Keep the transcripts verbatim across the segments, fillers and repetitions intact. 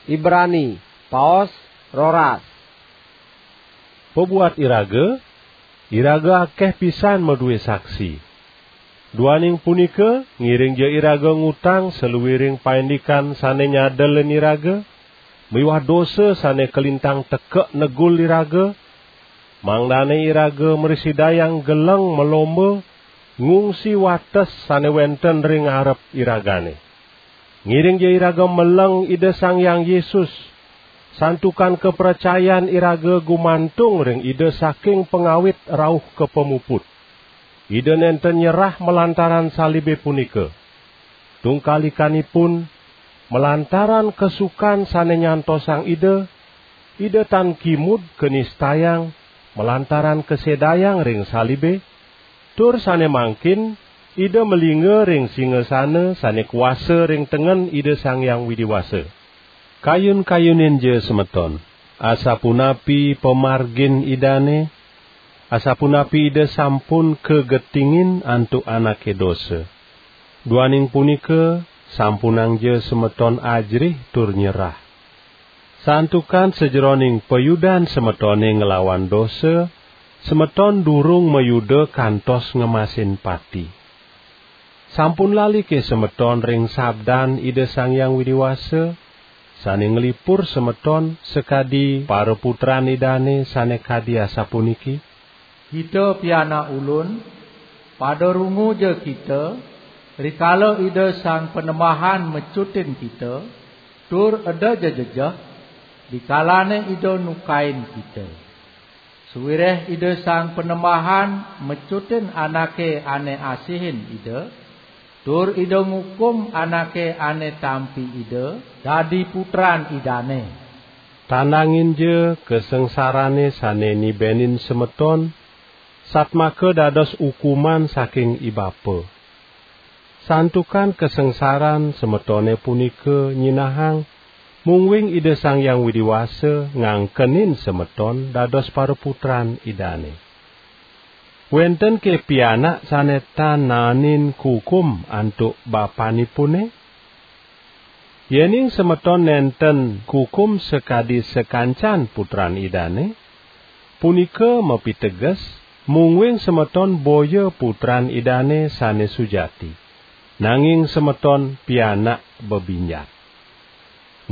Ibrani, paos roras. Pabuat iraga, iraga akeh pisan madué saksi. Duaning punika, ngiringja iraga ngutang saluiring paindikan sane nyadelin iraga, miwah dosa sane kalintang tekek negul iraga, mangdane iraga mrasidayang geleng malomba ngungsi wates sane wenten ring arep iragane. Ngiringja iraga meleng Ida Sang Hyang Yesus, santukan kapracayan iraga gumantung ring Ida saking pangawit rauh ka pamuput. Ida nenten nyerah malantaran salibe punika. Tungkalikanipun, malantaran kasukan sane nyantosang Ida, Ida tan kimud kanistayang malantaran kasedayang ring salibe, tur sane mangkin Ida malingga ring singasana sane kuasa ring tengen Ida Sang Hyang Widi Wasa. Kayun-kayuninja semeton, asapunapi pamargin Idane, asapunapi Ida sampun kagetingin antuk anake dosa. Duaning punika, sampunangja semeton ajerih tur nyerah. Santukan sajeroning payudan semetone nglawan dosa, semeton durung mayuda kantos ngemasin pati. Sampun lalike semeton ring sabdan Ida Sang Hyang Widi Wasa, sane nglipur semeton sakadi paraputran Idane sane kadi asapuniki: "Kita pianak ulun, pada runguja kita, rikala Ida Sang Panembahan mecutin kita, tur eda ja jejeh, dikalane Ida nukain kita. Sawireh Ida Sang Panembahan mecutin anake ane asihin Ida, tur Ida ngukum anake ane tampi Ida dadi putran Idane." Tandanginja kasangsarane sane nibenin semeton, satmaka dados ukuman saking ibapa. Santukan kasangsaran semetone punika nyinahang, mungguing Ida Sang Hyang Widi Wasa ngangkenin semeton dados paraputran Idane. Wenten ke pianak sane tan naenin kukum antuk bapanipune? Yening semeton nenten kukum sakadi sakancan putran Idane, punika mapiteges, mungguing semeton boya putran Idane sane sujati, nanging semeton pianak bebinjat.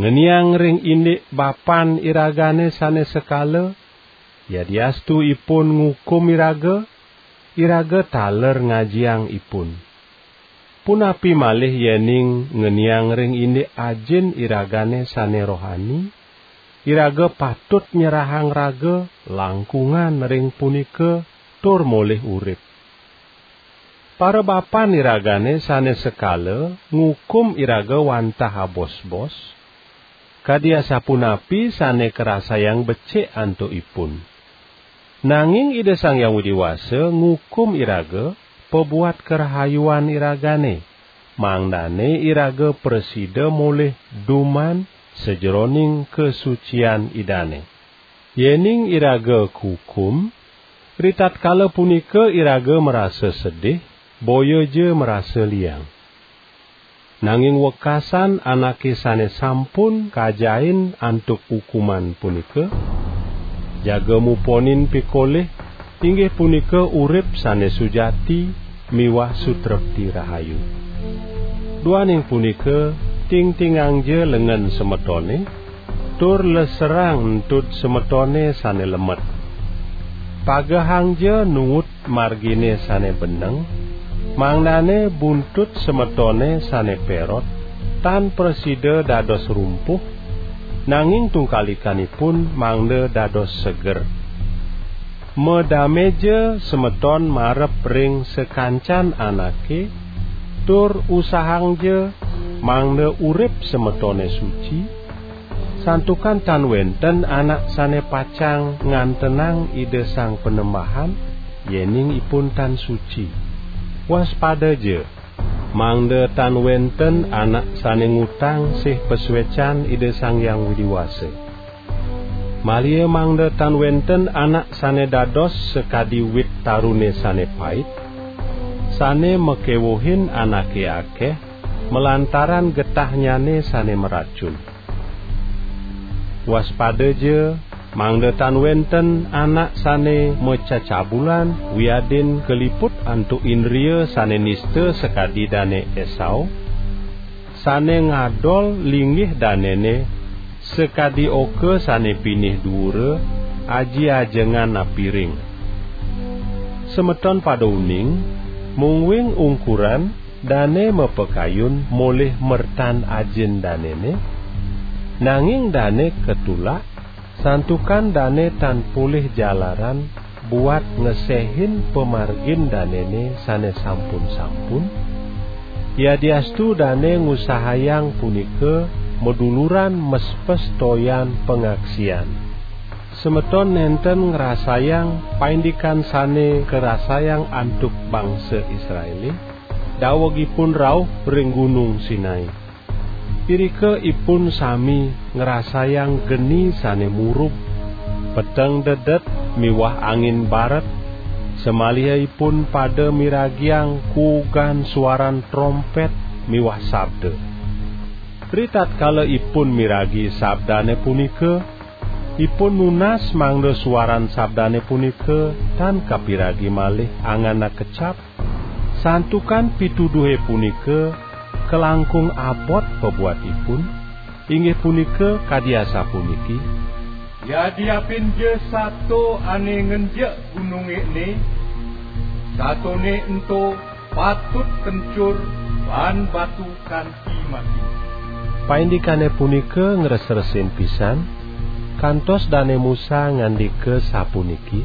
Ngeniang ring indik bapan iragane sane sekala, yadiastu ipun ngukum iraga, iraga taler ngajiang ipun. Punapi malih yening ngeniang ring indik Ajin iragane sane rohani, iraga patut nyerahang raga langkungan ring punika tur molih urip. Parabapan iragane sane sekala ngukum iraga wantah abosbos, kadi asapunapi sane karasayang becik antuk ipun. Nanging Ida Sang Hyang Widi Wasa ngukum iraga pabuat karahayuan iragane, mangdane iraga prasida molih duman sajeroning kasucian Idane. Yening iraga kukum, ritatkala punika iraga marasa sedih, boya ja marasa liang. Nanging wekasan anake sane sampun kajain antuk ukuman punika, jaga muponin pikolih, inggih punika urip sane sujati miwah sutrepti rahayu. Duaning punika, tingtingangja lengen semetone, tur leserang entud semetone sane lemet. Pagehangja nuut margine sane beneng, mangdane buntut semetone sane perot tan prasida dados rumpuh, nanging tungkalikanipun mangda dados seger. Madameja semeton marep ring sakancan anake, tur usahangja mangda urip semetone suci, santukan tan wenten anak sane pacang ngantenang Ida Sang Panembahan, yening ipun tan suci. Waspadaja, mangda tan wenten anak sane ngutang sih pasuecan Ida Sang Hyang Widi Wasa. Malia mangda tan wenten anak sane dados sakadi wit tarune sane pait, sane makewuhin anake akeh malantaran getahnyane sane maracun. Waspadaja, mangda tan wenten anak sane macacabulan wiadin kaliput antuk indria sane nista sakadi Dane Esau, sane ngadol linggih danene sakadi oka sane pinih duura, aji ajengan apiring. Semeton pada uning, mungguing ungkuran dane mapakayun molih mertan ajin danene, nanging dane katulak, santukan dane tan polih jalaran buat ngesehin pamargin danene sane sampun-sampun, yadiastu dane ngusahayang punika maduluran mespes toyan pangaksian. Semeton nenten ngrasayang paindikan sane karasayang antuk bangsa Israele, daweg ipun rauh ring Gunung Sinai. Irika ipun sami ngrasayang geni sane murub, peteng dedet miwah angin baret, samaliha ipun pada miragiang kuugan suaran trompet miwah sabda. Ritatkala ipun miragi sabdane punika, ipun nunas mangda suaran sabdane punika tan kapiragi malih angan akecap, santukan pituduhe punika kalangkung abot pabuat ipun, inggih punika kadi asapuniki: Yadiapinja sato ane ngenjek gununge ene, satone ento patut kencur baan batu kanti mati. Paindikane punika ngresresin pisan, kantos Dane Musa ngandika sapuniki: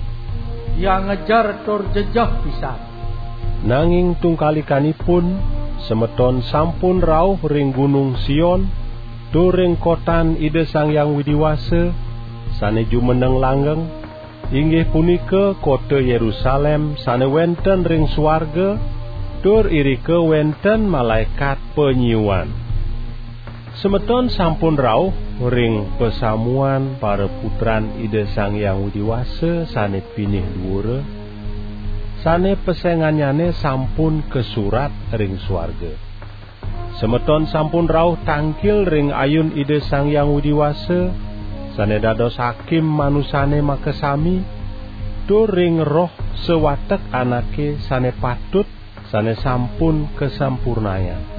Tiang ngejer tur jejeh pisan. Nanging tungkalikanipun, semeton sampun rauh ring Gunung Sion, tur ring kotan Ida Sang Hyang Widi Wasa, sane jumeneng langgeng, inggih punika kota Yerusalem sane wenten ring suarga, tur irika wenten malaekat panyiuan. Semeton sampun rauh ring pasamuan paraputran Ida Sang Hyang Widi Wasa sane pinih duura, sane pesengannyane sampun kasurat ring suarga. Semeton sampun rauh tangkil ring ayun Ida Sang Hyang Widi Wasa, sane dados hakim manusane makasami, tur ring roh sawatek anake sane patut, sane sampun kasampurnayang.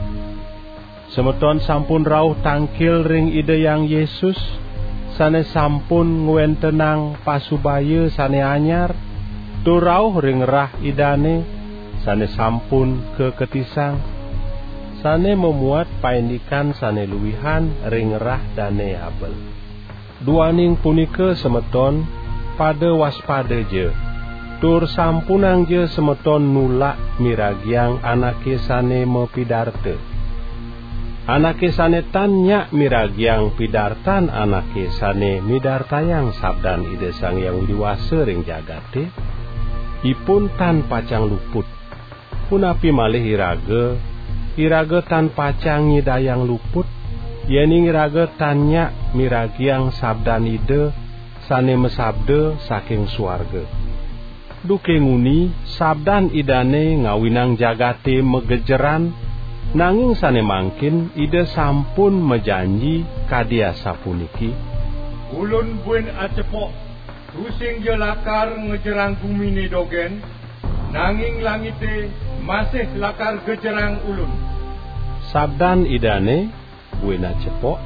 Semeton sampun rauh tangkil ring Ida Hyang Yesus, sane sampun ngwentenang pasubaya sane anyar, tur rauh ring rah Idane, sane sampun kaketisang, sane mamuat paindikan sane luihan ring rah Dane Abel. Duaning punika, semeton, pada waspadaja, tur sampunangja semeton nulak miragiang anake sane mapidarta. Anake sane tan nyak miragiang pidartan anake sane midartayang sabdan Ida Sang Hyang Widi Wasa ring jagate, ipun tan pacang luput. Punapi malih iraga, iraga tan pacang nyidayang luput, yening iraga tan nyak miragiang sabdan Ida sane masabda saking suarga. Duke nguni, sabdan Idane ngawinang jagate magejeran, nanging sane mangkin Ida sampun majanji kadi asapuniki: Ulun buin acepok, tusingja lakar ngejerang gumine dogen, nanging langite masih lakar gejerang Ulun. Sabdan Idane, buin acepok,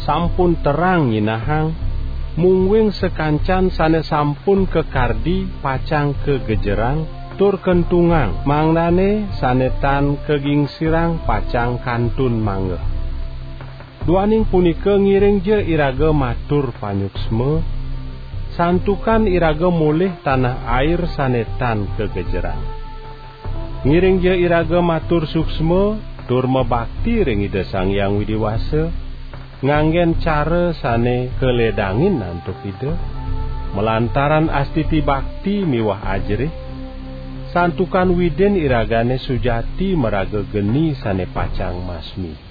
sampun terang nyinahang, mungguing sakancan sane sampun kakardi pacang kagejerang tur kentungang, mangdane sane tan kagingsirang pacang kantun manggeh. Duaning punika, ngiringja iraga matur panyuksma, santukan iraga molih tanah air sane tan kagejerang. Ngiringja iraga matur suksma tur mabakti ring Ida Sang Hyang Widi Wasa, nganggen cara sane kaledangin antuk Ida, malantaran astiti bakti miwah ajerih, santukan Widin iragane sujati maraga geni sane pacang masmi.